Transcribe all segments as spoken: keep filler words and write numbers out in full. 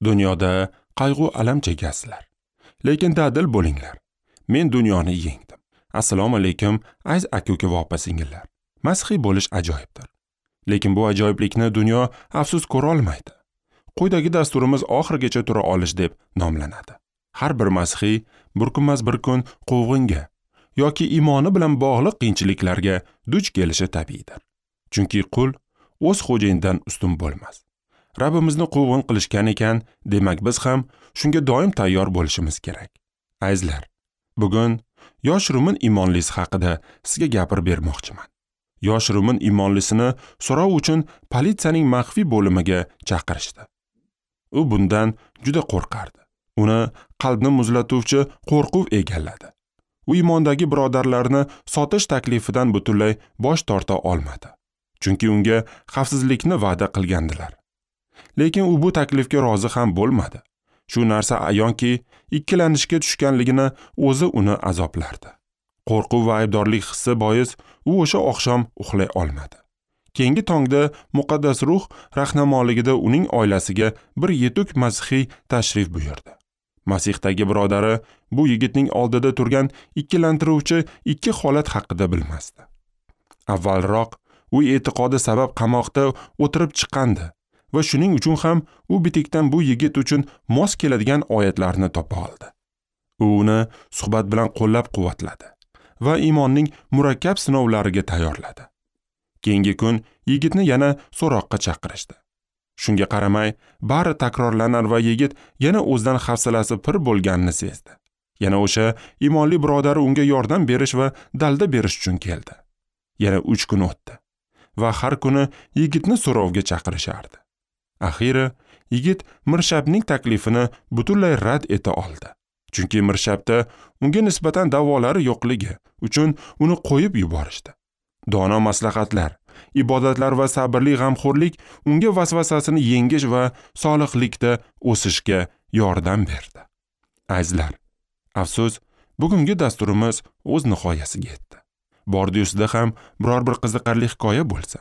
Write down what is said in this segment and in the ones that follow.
Dunyoda qayg'u alam chekasizlar, lekin dadil bo'linglar. Men dunyoni yengdim. Assalomu alaykum, aziz aka-uka va opa-singillar. Masihiy bo'lish ajoyibdir. Lekin bu ajoyiblikni dunyo afsus ko'ra olmaydi. Quyidagi dasturimiz oxirigacha tura olish deb nomlanadi. Har bir masihiy bir kunmas bir kun quvg'inga yoki iymoni bilan bog'liq qiyinchiliklarga duch kelishi tabiiydir. Chunki qul o'z xo'jayinidan ustun bo'lmas. Rabbimizni quvg'in qilishgan ekan, demak biz ham shunga doim tayyor bo'lishimiz kerak. Azizlar, bugun yosh rumin iymonlisi haqida sizga gapirib bermoqchiman. Yosh rumin iymonlisini so'rov uchun politsiyaning maxfiy bo'limiga chaqirishdi. U bundan juda qo'rqardi. Uni qalbni muzlatuvchi qo'rquv egalladi. U iymondagi birodarlarini sotish taklifidan butunlay bosh torta olmadi. Chunki unga xavfsizlikni va'da qilgandilar. Lekin u bu taklifga rozi ham bo'lmadi. Shu narsa ayonki, ikkilanishga tushganligini o'zi uni azoblardi. Qo'rquv va aybdorlik hissi bois u o'sha oqshom uxlay olmadi. Keyingi tongda muqaddas ruh rahnamoligida uning oilasiga bir yetuk masihiy tashrif buyurdi. Masihdagi birodari bu yigitning oldida turgan ikkilantiruvchi ikki holat haqida bilmasdi. Avvalroq u e'tiqodi sabab qamoqda o'tirib chiqqandi va shuning uchun ham u bitikdan bu yigit uchun mos keladigan oyatlarni topa oldi. U uni suhbat bilan qo'llab-quvvatladi va iymonning murakkab sinovlariga tayyorladi. Keyingi kun yigitni yana so'roqqa chaqirishdi. Shunga qaramay, bari takrorlanar va yigit yana o'zidan hafsalasi pir bo'lganini sezdi. Yana o'sha iymonli birodari unga yordam berish va dalda berish uchun keldi. Yana uch kun o'tdi va har kuni yigitni so'rovga chaqirishardi. Axiri yigit Mirshabning taklifini butunlay rad eta oldi. Chunki Mirshabda unga nisbatan da'volari yo'qligi uchun uni qo'yib yuborishdi. Dono maslahatlar, ibodatlar va sabrli g'amxo'rlik unga vasvasasini yengish va solihlikda o'sishga yordam berdi. Azizlar, afsus, bugungi dasturimiz o'z nihoyasiga yetdi. Bordi-yusida ham biror bir qiziqarli hikoya bo'lsa,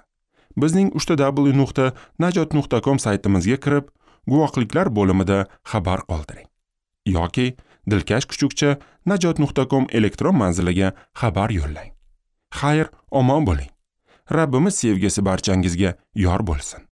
bizning uch w nuqta najot nuqta com saytimizga kirib, guvohliklar bo'limida xabar qoldiring. Yoki dilkash kuchukcha najot nuqta com elektron manziliga xabar yo'llang. Xayr, omon bo'ling. Rabbimiz sevgisi barchangizga yor bo'lsin.